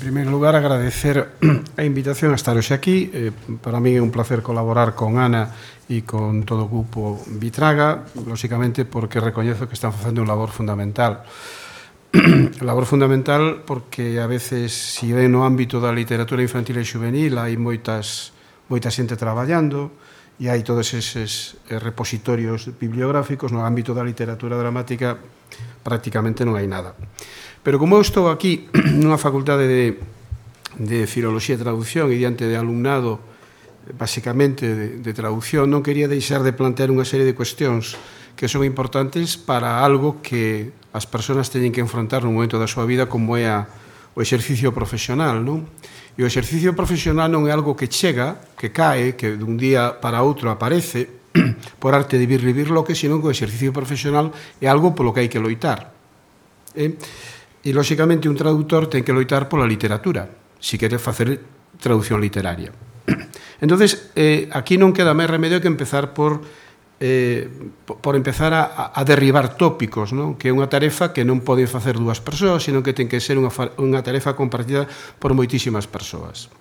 primeiro lugar, agradecer a invitación a estar hoxe aquí. Para mí é un placer colaborar con Ana e con todo o grupo Vitraga, lóxicamente porque recoñezo que están facendo un labor fundamental. Labor fundamental porque a veces, se ven no ámbito da literatura infantil e juvenil, hai moita xente traballando e hai todos eses repositorios bibliográficos. No ámbito da literatura dramática prácticamente non hai nada. Pero como eu estou aquí nunha facultade de filoloxía e traducción e diante de alumnado basicamente de traducción, non quería deixar de plantear unha serie de cuestións que son importantes para algo que as persoas teñen que enfrontar nun momento da súa vida, como é o exercicio profesional, non? E o exercicio profesional non é algo que chega, que cae, que dun día para outro aparece por arte de vivirlo, que senón que o exercicio profesional é algo polo que hai que loitar. E, lóxicamente, un traductor ten que loitar pola literatura, se quere facer traducción literaria. Entonces, aquí non queda máis remedio que empezar por empezar a derribar tópicos, non? Que é unha tarefa que non poden facer dúas persoas, senón que ten que ser unha tarefa compartida por moitísimas persoas.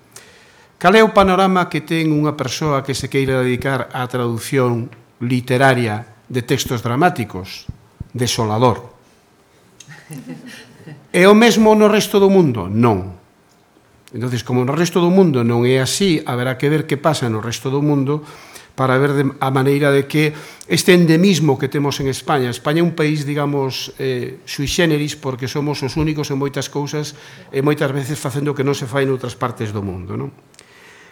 Cal é o panorama que ten unha persoa que se queira dedicar á traducción literaria de textos dramáticos? Desolador. É o mesmo no resto do mundo? Non. Entonces, como no resto do mundo non é así, haberá que ver que pasa no resto do mundo para ver a maneira de que este endemismo que temos en España é un país, digamos, sui generis, porque somos os únicos en moitas cousas e moitas veces facendo que non se fai noutras partes do mundo, non?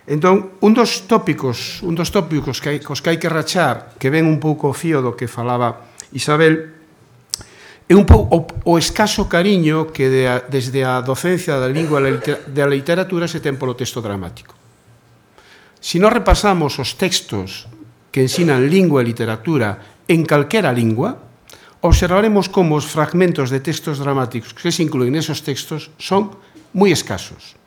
Entón, un dos tópicos cos que hai que rachar, que ven un pouco o fío do que falaba Isabel, é un pouco o escaso cariño que desde a docencia da lingua e da literatura se ten polo texto dramático. Se nós repasamos os textos que ensinan lingua e literatura en calquera lingua, observaremos como os fragmentos de textos dramáticos que se incluen nesos textos son moi escasos.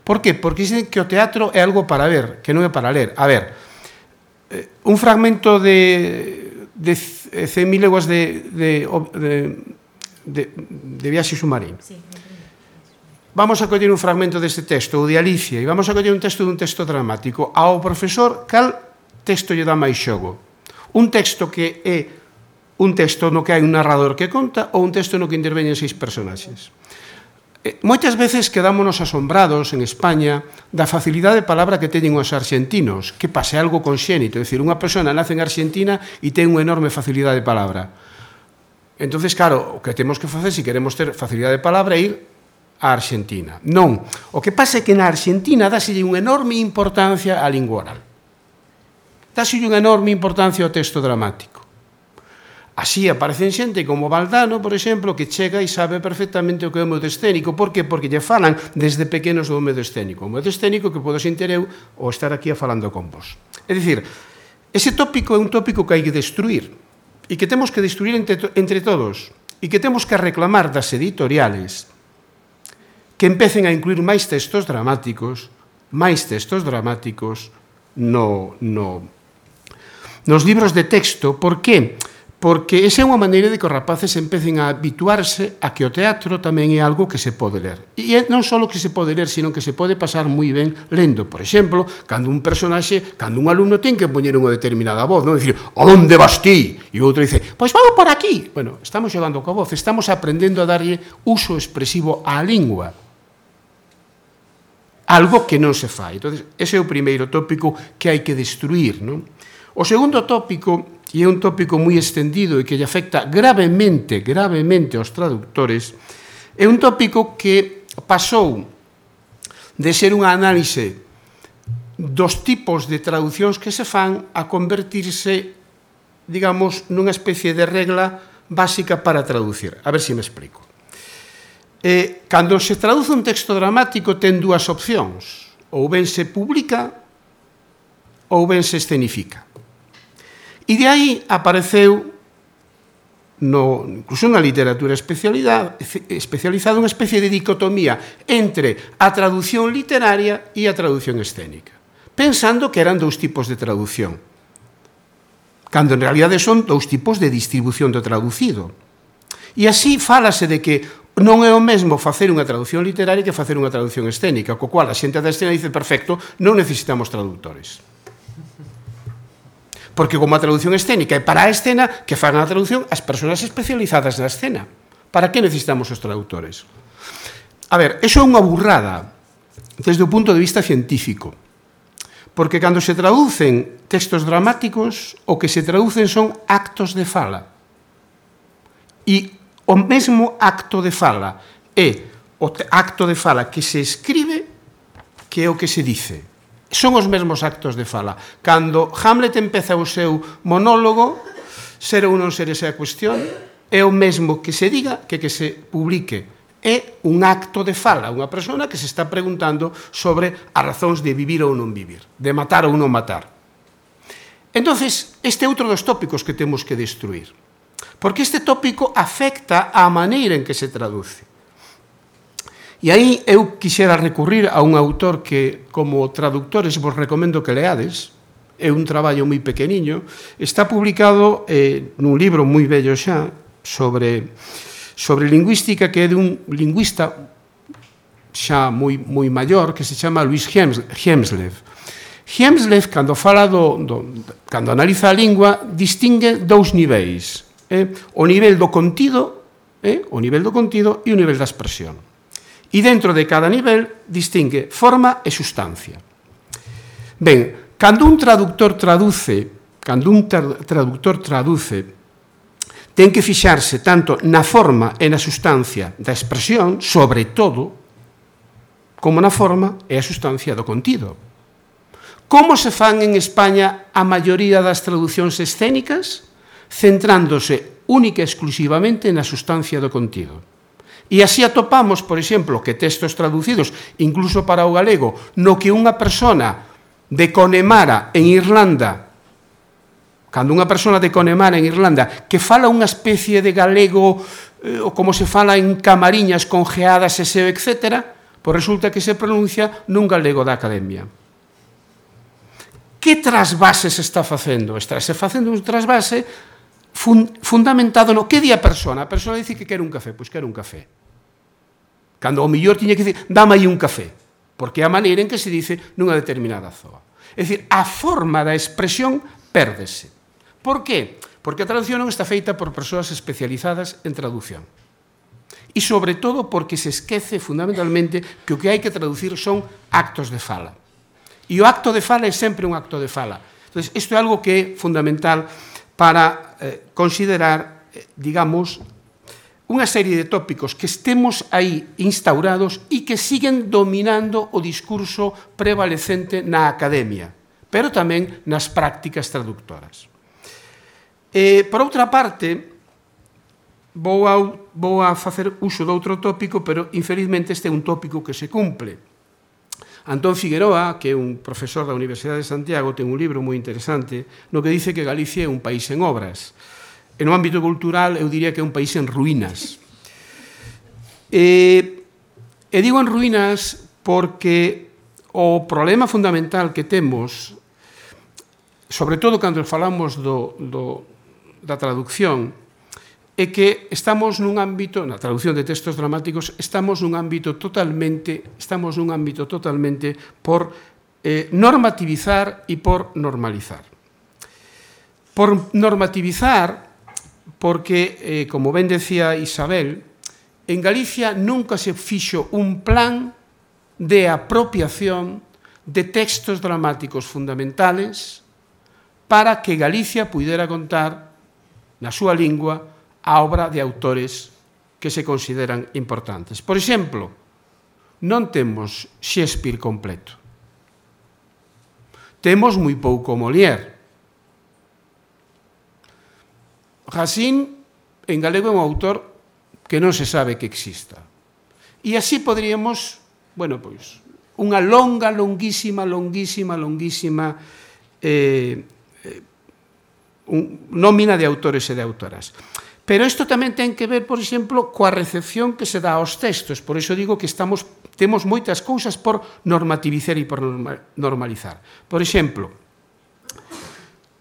Por qué? Porque dicen que o teatro é algo para ver, que non é para ler. A ver, un fragmento de 100.000 leguas de viaxe submarino. Vamos a coller un fragmento deste texto, o de Alicia, e vamos a coller un texto dun texto dramático. Ao profesor, cal texto lle dá máis xogo? Un texto que é un texto no que hai un narrador que conta ou un texto no que interveñen 6 personaxes? Moitas veces quedámonos asombrados en España da facilidade de palabra que teñen os arxentinos, que pase algo conxénito, é dicir, unha persona nace en Argentina e ten unha enorme facilidade de palabra. Entonces, claro, o que temos que facer, se queremos ter facilidade de palabra, é ir a Argentina. Non, o que pasa é que na Argentina dáselle unha enorme importancia á lingua oral. Dáselle unha enorme importancia ao texto dramático. Así aparecen xente como Valdano, por exemplo, que chega e sabe perfectamente o que é o medio escénico. Por qué? Porque lle falan desde pequenos do medio escénico. O medio escénico que podo sentir eu ou estar aquí falando con vos. É dicir, ese tópico é un tópico que hai que destruir e que temos que destruir entre todos e que temos que reclamar das editoriales que empecen a incluir máis textos dramáticos nos libros de texto. Por qué? Porque esa é unha maneira de que os rapaces empecen a habituarse a que o teatro tamén é algo que se pode ler. E non só que se pode ler, sino que se pode pasar moi ben lendo. Por exemplo, cando un personaxe, cando un alumno ten que poñer unha determinada voz, non dicir, "A onde vas ti?" E o outro dice, "Pois vamos por aquí." Bueno, estamos xogando coa voz, estamos aprendendo a darlle uso expresivo á lingua. Algo que non se fai. Entón, ese é o primeiro tópico que hai que destruir, non? O segundo tópico, e é un tópico moi extendido e que lle afecta gravemente aos traductores, é un tópico que pasou de ser unha análise dos tipos de traducións que se fan a convertirse, digamos, nunha especie de regla básica para traducir. A ver se me explico. Cando se traduce un texto dramático ten dúas opcións. Ou ben se publica ou ben se escenifica. E de aí apareceu, incluso na literatura especializada, unha especie de dicotomía entre a traducción literaria e a traducción escénica, pensando que eran dous tipos de traducción, cando en realidade son dous tipos de distribución do traducido. E así fálase de que non é o mesmo facer unha traducción literaria que facer unha traducción escénica, co cual a xente da escena dice, perfecto, non necesitamos traductores. Porque como a traducción escénica é para a escena, que fagan a traducción as persoas especializadas na escena. Para que necesitamos os traductores? A ver, eso é unha burrada desde o punto de vista científico. Porque cando se traducen textos dramáticos, o que se traducen son actos de fala. E o mesmo acto de fala é o acto de fala que se escribe que é o que se dice. Son os mesmos actos de fala. Cando Hamlet empeza o seu monólogo, ser ou non ser esa cuestión, é o mesmo que se diga que se publique. É un acto de fala, unha persona que se está preguntando sobre as razóns de vivir ou non vivir, de matar ou non matar. Entonces, este é outro dos tópicos que temos que destruir, porque este tópico afecta a maneira en que se traduce. E aí eu quixera recurrir a un autor que, como traductores, vos recomendo que leades. É un traballo moi pequeniño, está publicado nun libro moi bello xa, sobre lingüística, que é dun lingüista xa moi maior, que se chama Louis Hjelmslev. Hjelmslev, cando fala cando analiza a lingua, distingue dous niveis, o nivel do contido e o nivel da expresión. E dentro de cada nivel distingue forma e sustancia. Ben, cando un traductor traduce, ten que fixarse tanto na forma e na sustancia da expresión, sobre todo, como na forma e a sustancia do contido. Como se fan en España a maioría das traducións escénicas? Centrándose única e exclusivamente na sustancia do contido. E así atopamos, por exemplo, que textos traducidos, incluso para o galego, no que unha persona de Connemara en Irlanda, cando unha persona de Connemara en Irlanda que fala unha especie de galego ou como se fala en Camariñas con geadas e seo, etc., pois resulta que se pronuncia nun galego da Academia. Que trasvase se está facendo? Está se facendo un trasvase fundamentado no que di a persona. A persona dice que quere un café, pois quere un café. Cando ao mellor tiña que dicir, dame aí un café, porque é a maneira en que se dice nunha determinada zoa. É dicir, a forma da expresión pérdese. Por qué? Porque a traducción non está feita por persoas especializadas en traducción. E, sobre todo, porque se esquece fundamentalmente que o que hai que traducir son actos de fala. E o acto de fala é sempre un acto de fala. Entón, isto é algo que é fundamental para considerar, digamos, unha serie de tópicos que estemos aí instaurados e que siguen dominando o discurso prevalecente na academia, pero tamén nas prácticas traductoras. Por outra parte, vou a facer uso de outro tópico, pero infelizmente este é un tópico que se cumple. Antón Figueroa, que é un profesor da Universidade de Santiago, ten un libro moi interesante no que dice que Galicia é un país en obras. E no ámbito cultural eu diría que é un país en ruínas. E digo en ruínas porque o problema fundamental que temos, sobre todo cando falamos da traducción, é que estamos nun ámbito, na traducción de textos dramáticos, estamos nun ámbito totalmente por normativizar e por normalizar. Por normativizar, porque, como ben decía Isabel, en Galicia nunca se fixo un plan de apropiación de textos dramáticos fundamentales para que Galicia puidera contar na súa lingua a obra de autores que se consideran importantes. Por exemplo, non temos Shakespeare completo. Temos moi pouco Molière. Racine, en galego, é un autor que non se sabe que exista. E así poderíamos, unha longuísima nómina de autores e de autoras. Pero isto tamén ten que ver, por exemplo, coa recepción que se dá aos textos. Por iso digo que temos moitas cousas por normativizar e por normalizar. Por exemplo,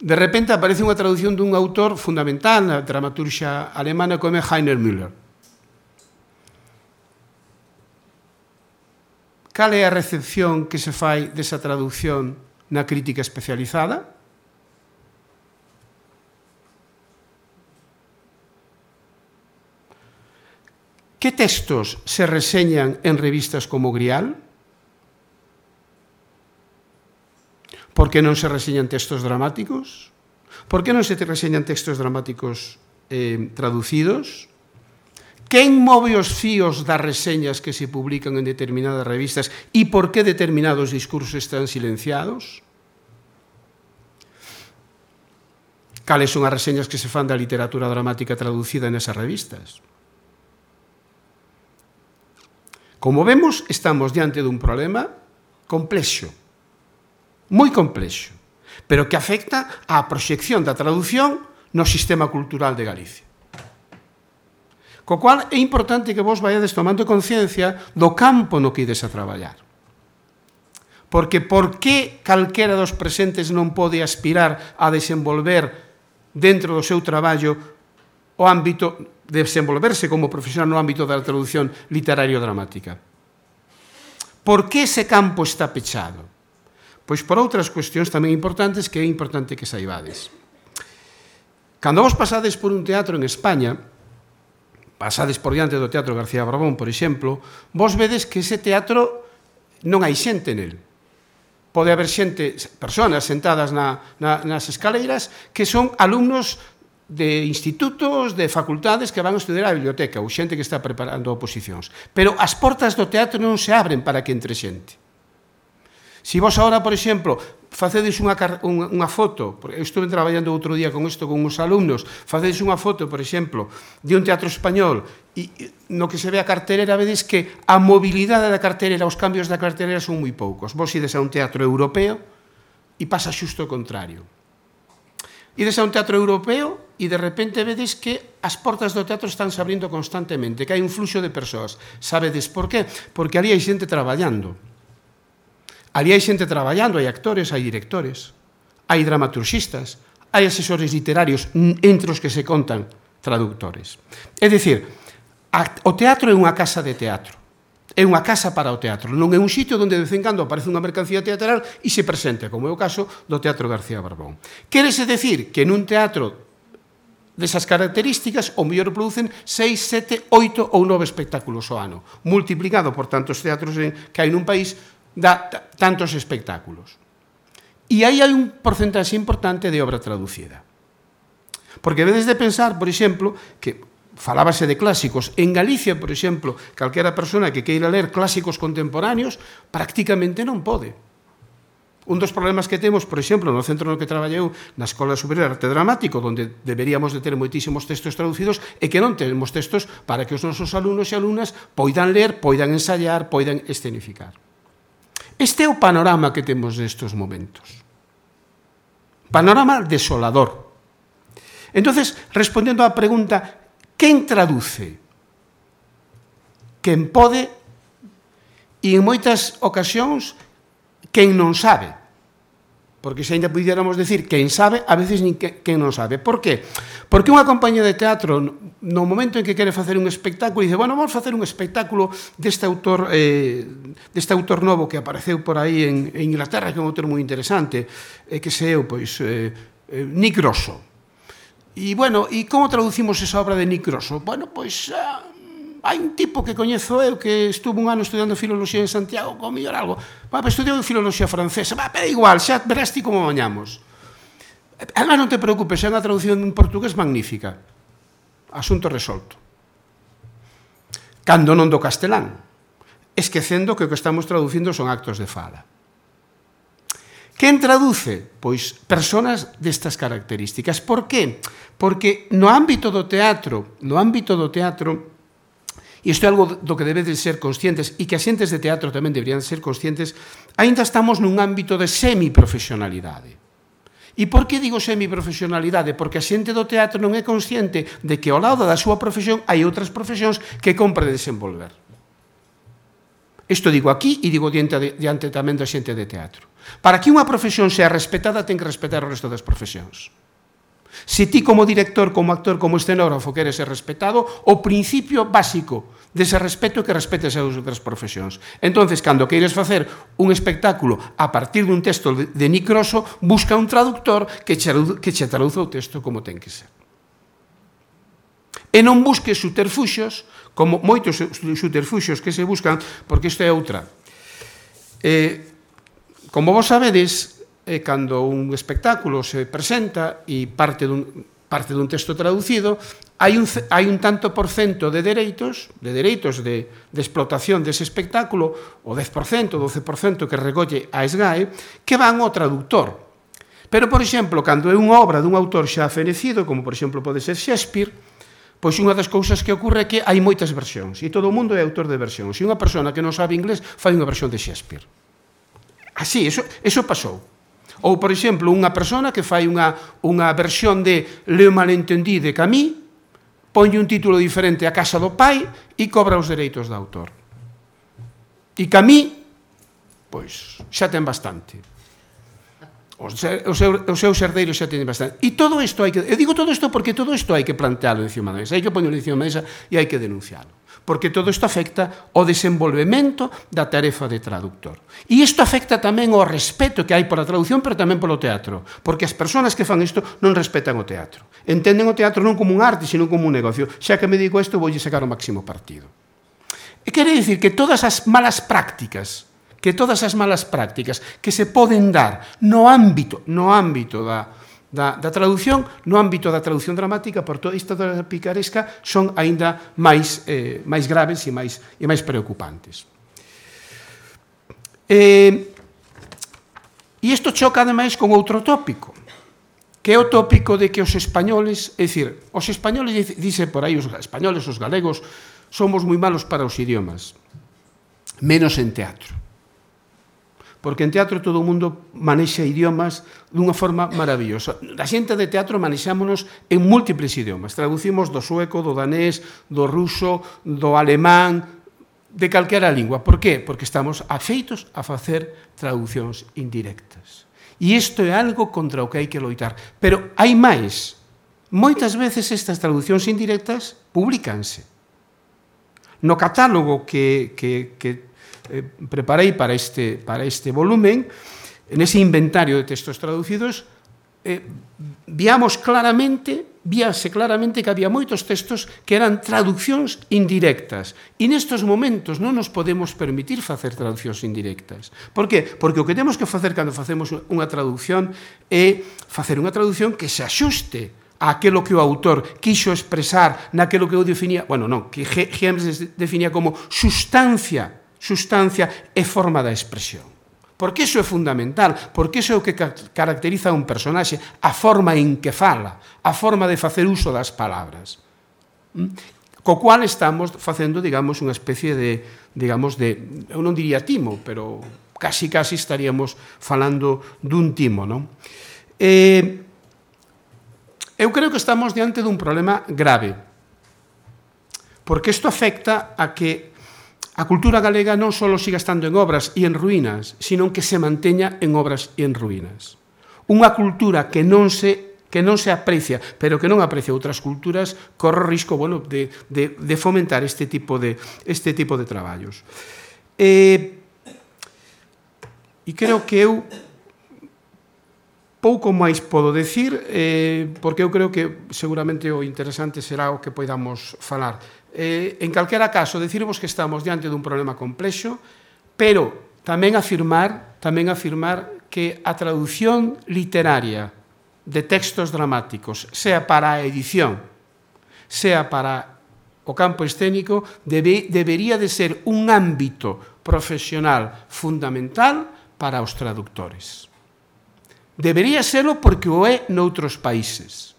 de repente aparece unha traducción dun autor fundamental na dramaturgia alemana como é Heiner Müller. cal é a recepción que se fai desa traducción na crítica especializada? Que textos se reseñan en revistas como Grial? Por que non se reseñan textos dramáticos? Por que non se reseñan textos dramáticos traducidos? Quen move os fíos das reseñas que se publican en determinadas revistas e por que determinados discursos están silenciados? Cales son as reseñas que se fan da literatura dramática traducida nesas revistas? Como vemos, estamos diante dun problema complexo, moi complexo, pero que afecta á proxección da traducción no sistema cultural de Galicia. Co cual é importante que vos vaiades tomando conciencia do campo no que ides a traballar. Porque por que calquera dos presentes non pode aspirar a desenvolver dentro do seu traballo o ámbito de desenvolverse como profesional no ámbito da traducción literario-dramática? Por que ese campo está pechado? Pois por outras cuestións tamén importantes que é importante que saibades. Cando vos pasades por un teatro en España, pasades por diante do Teatro García Barbón, por exemplo, vos vedes que ese teatro non hai xente nel. Pode haber xente, persoas sentadas nas escaleiras que son alumnos de institutos, de facultades que van a estudiar a biblioteca ou xente que está preparando oposicións. Pero as portas do teatro non se abren para que entre xente. Se vos agora, por exemplo, facedes unha foto, eu estuve traballando outro día con isto con uns alumnos, facedes unha foto, por exemplo, de un teatro español e no que se ve a cartelera vedes que a mobilidade da cartelera, os cambios da cartelera son moi poucos. Vos ides a un teatro europeo e pasa xusto o contrario. Ides a un teatro europeo e de repente vedes que as portas do teatro están se abrindo constantemente, que hai un fluxo de persoas. Sabedes por qué? Porque ali hai xente traballando. Ali hai xente traballando, hai actores, hai directores, hai dramaturxistas, hai asesores literarios, entre os que se contan traductores. É dicir, o teatro é unha casa de teatro, é unha casa para o teatro, non é un sitio onde de vez en cando aparece unha mercancía teatral e se presente, como é o caso do Teatro García Barbón. Quérese decir que nun teatro desas características, o mellor producen 6, 7, 8 ou 9 espectáculos ao ano, multiplicado por tantos teatros que hai nun país, dá tantos espectáculos. E aí hai un porcentaxe importante de obra traducida. Porque vedes de pensar, por exemplo, que falábase de clásicos. En Galicia, por exemplo, calquera persona que queira ler clásicos contemporáneos prácticamente non pode. Un dos problemas que temos, por exemplo, no centro no que traballeu, na Escola Superior de Arte Dramático, onde deberíamos de ter moitísimos textos traducidos, é que non temos textos para que os nosos alumnos e alumnas poidan ler, poidan ensayar, poidan escenificar. Este é o panorama que temos nestes momentos. Panorama desolador. Entonces, respondendo á pregunta, quen traduce? Quen pode e en moitas ocasións quen non sabe. Porque se ainda pudiéramos decir quen sabe, a veces nin quen non sabe. Por qué? Porque unha compañía de teatro, no momento en que quere facer un espectáculo, dice, bueno, vamos facer un espectáculo deste autor novo que apareceu por aí en Inglaterra, que é un autor moi interesante, que se eu, pois, Nick Grosso. E, bueno, e como traducimos esa obra de Nick Grosso? Bueno, pois, hai un tipo que coñezo eu que estuvo un ano estudiando filoloxía en Santiago, como mellor algo. Estudiou filoloxía francesa, pero igual, xa verás ti como mañamos. Además, non te preocupes, é unha traducción en portugués magnífica. Asunto resolto. Cando non do castelán, esquecendo que o que estamos traducindo son actos de fala. Quen traduce? Pois persoas destas características. Por qué? Porque no ámbito do teatro, e isto é algo do que debedes ser conscientes e que as xentes de teatro tamén deberían ser conscientes, aínda estamos nun ámbito de semiprofesionalidade. E por que digo semiprofesionalidade? Porque a xente do teatro non é consciente de que ao lado da súa profesión hai outras profesións que compre desenvolver. Isto digo aquí e digo diante tamén da xente de teatro. Para que unha profesión sea respetada, ten que respetar o resto das profesións. Se ti como director, como actor, como escenógrafo queres ser respetado, o principio básico dese respeto é que respetes as outras profesións. Entonces, cando queires facer un espectáculo a partir dun texto de Nick Grosso, busca un traductor que che traduza o texto como ten que ser. E non busques subterfuxos, como moitos subterfuxos que se buscan, porque isto é outra. Como vos sabedes, cando un espectáculo se presenta e parte dun texto traducido, hai un tanto por cento de dereitos de explotación dese espectáculo, o 10%, 12% que recolle a SGAE, que van ao traductor. Pero, por exemplo, cando é unha obra dun autor xa fenecido, como por exemplo pode ser Shakespeare, pois unha das cousas que ocorre é que hai moitas versións, e todo o mundo é autor de versións, e unha persona que non sabe inglés fai unha versión de Shakespeare. Así, eso pasou. Ou, por exemplo, unha persona que fai unha versión de Le Malentendu de Camus, ponlle un título diferente a Casa do Pai e cobra os dereitos do autor. E Camus, pois, xa ten bastante. Os seus herdeiros xa teñen bastante. E todo isto hai que... Eu digo todo isto porque todo isto hai que plantealo encima da mesa, hai que poñerlo encima da mesa e hai que denuncialo. Porque todo isto afecta ao desenvolvemento da tarefa de traductor. E isto afecta tamén ao respeto que hai pola traducción, pero tamén polo teatro. Porque as persoas que fan isto non respetan o teatro. Entenden o teatro non como un arte, sino como un negocio. Xa que me digo isto, voulle sacar o máximo partido. E quere dicir que todas as malas prácticas que se poden dar no ámbito da traducción, no ámbito da traducción dramática, por toda isto da picaresca, son aínda máis graves e máis preocupantes. E isto choca, ademais, con outro tópico, que é o tópico de que os españoles, é dicir, os españoles, dice por aí, os españoles, os galegos, somos moi malos para os idiomas, menos en teatro. Porque en teatro todo o mundo manexa idiomas dunha forma maravillosa. A xente de teatro manexámonos en múltiples idiomas. Traducimos do sueco, do danés, do ruso, do alemán, de calquera lingua. Por qué? Porque estamos afeitos a facer traducións indirectas. E isto é algo contra o que hai que loitar. Pero hai máis. Moitas veces estas traducións indirectas publícanse. No catálogo que preparei para este volumen, nese inventario de textos traducidos, víase claramente que había moitos textos que eran traduccións indirectas. E nestes momentos non nos podemos permitir facer traducións indirectas. Por qué? Porque o que temos que facer cando facemos unha traducción é facer unha traducción que se axuste aquilo que o autor quixo expresar naquilo que eu definía, que James definía como sustancia e forma da expresión. Porque iso é fundamental, porque iso é o que caracteriza a un personaxe, a forma en que fala, a forma de facer uso das palabras. Co cual estamos facendo, digamos, unha especie de, eu non diría timo, pero casi estaríamos falando dun timo, non? Eu creo que estamos diante dun problema grave, porque isto afecta a que a cultura galega non só siga estando en obras e en ruínas, sino que se manteña en obras e en ruínas. Unha cultura que non se aprecia, pero que non aprecia outras culturas, corre o risco de fomentar este tipo de traballos. E creo que eu pouco máis podo decir, porque eu creo que seguramente o interesante será o que poidamos falar. En calquera caso, decirvos que estamos diante dun problema complexo, pero tamén afirmar que a traducción literaria de textos dramáticos, sea para a edición, sea para o campo escénico, debería de ser un ámbito profesional fundamental para os traductores. Debería serlo porque o é noutros países.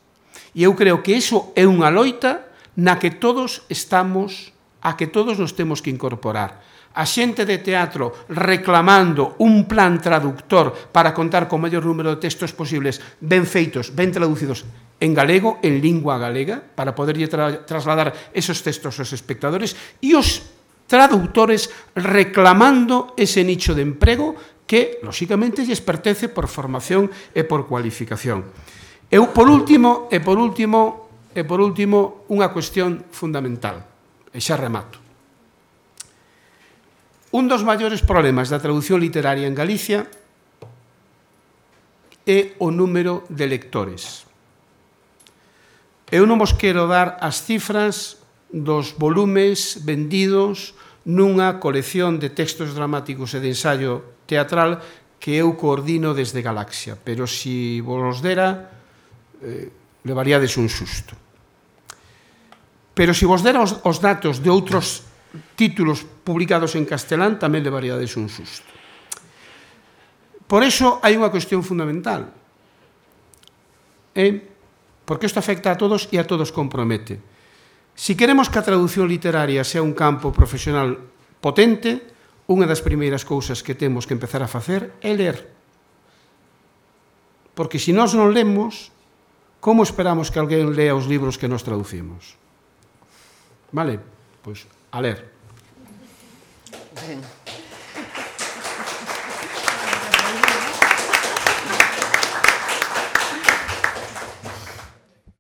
E eu creo que iso é unha loita na que todos nos temos que incorporar. A xente de teatro reclamando un plan traductor para contar co maior número de textos posibles, ben feitos, ben traducidos en galego, en lingua galega, para poderlle trasladar esos textos aos espectadores, e os traductores reclamando ese nicho de emprego que, lóxicamente, lles pertence por formación e por cualificación. Eu, por último, unha cuestión fundamental, e xa remato. Un dos maiores problemas da traducción literaria en Galicia é o número de lectores. Eu non vos quero dar as cifras dos volumes vendidos nunha colección de textos dramáticos e de ensaio teatral que eu coordino desde Galaxia, pero se vos dera, levaríades un susto. Pero se vos dera os datos de outros títulos publicados en castelán, tamén levaríades un susto. Por iso hai unha cuestión fundamental, porque isto afecta a todos e a todos compromete. Se queremos que a traducción literaria sea un campo profesional potente, unha das primeiras cousas que temos que empezar a facer é ler. Porque se nós non lemos, como esperamos que alguén lea os libros que nos traducimos? Vale? Pois a ler. Ben.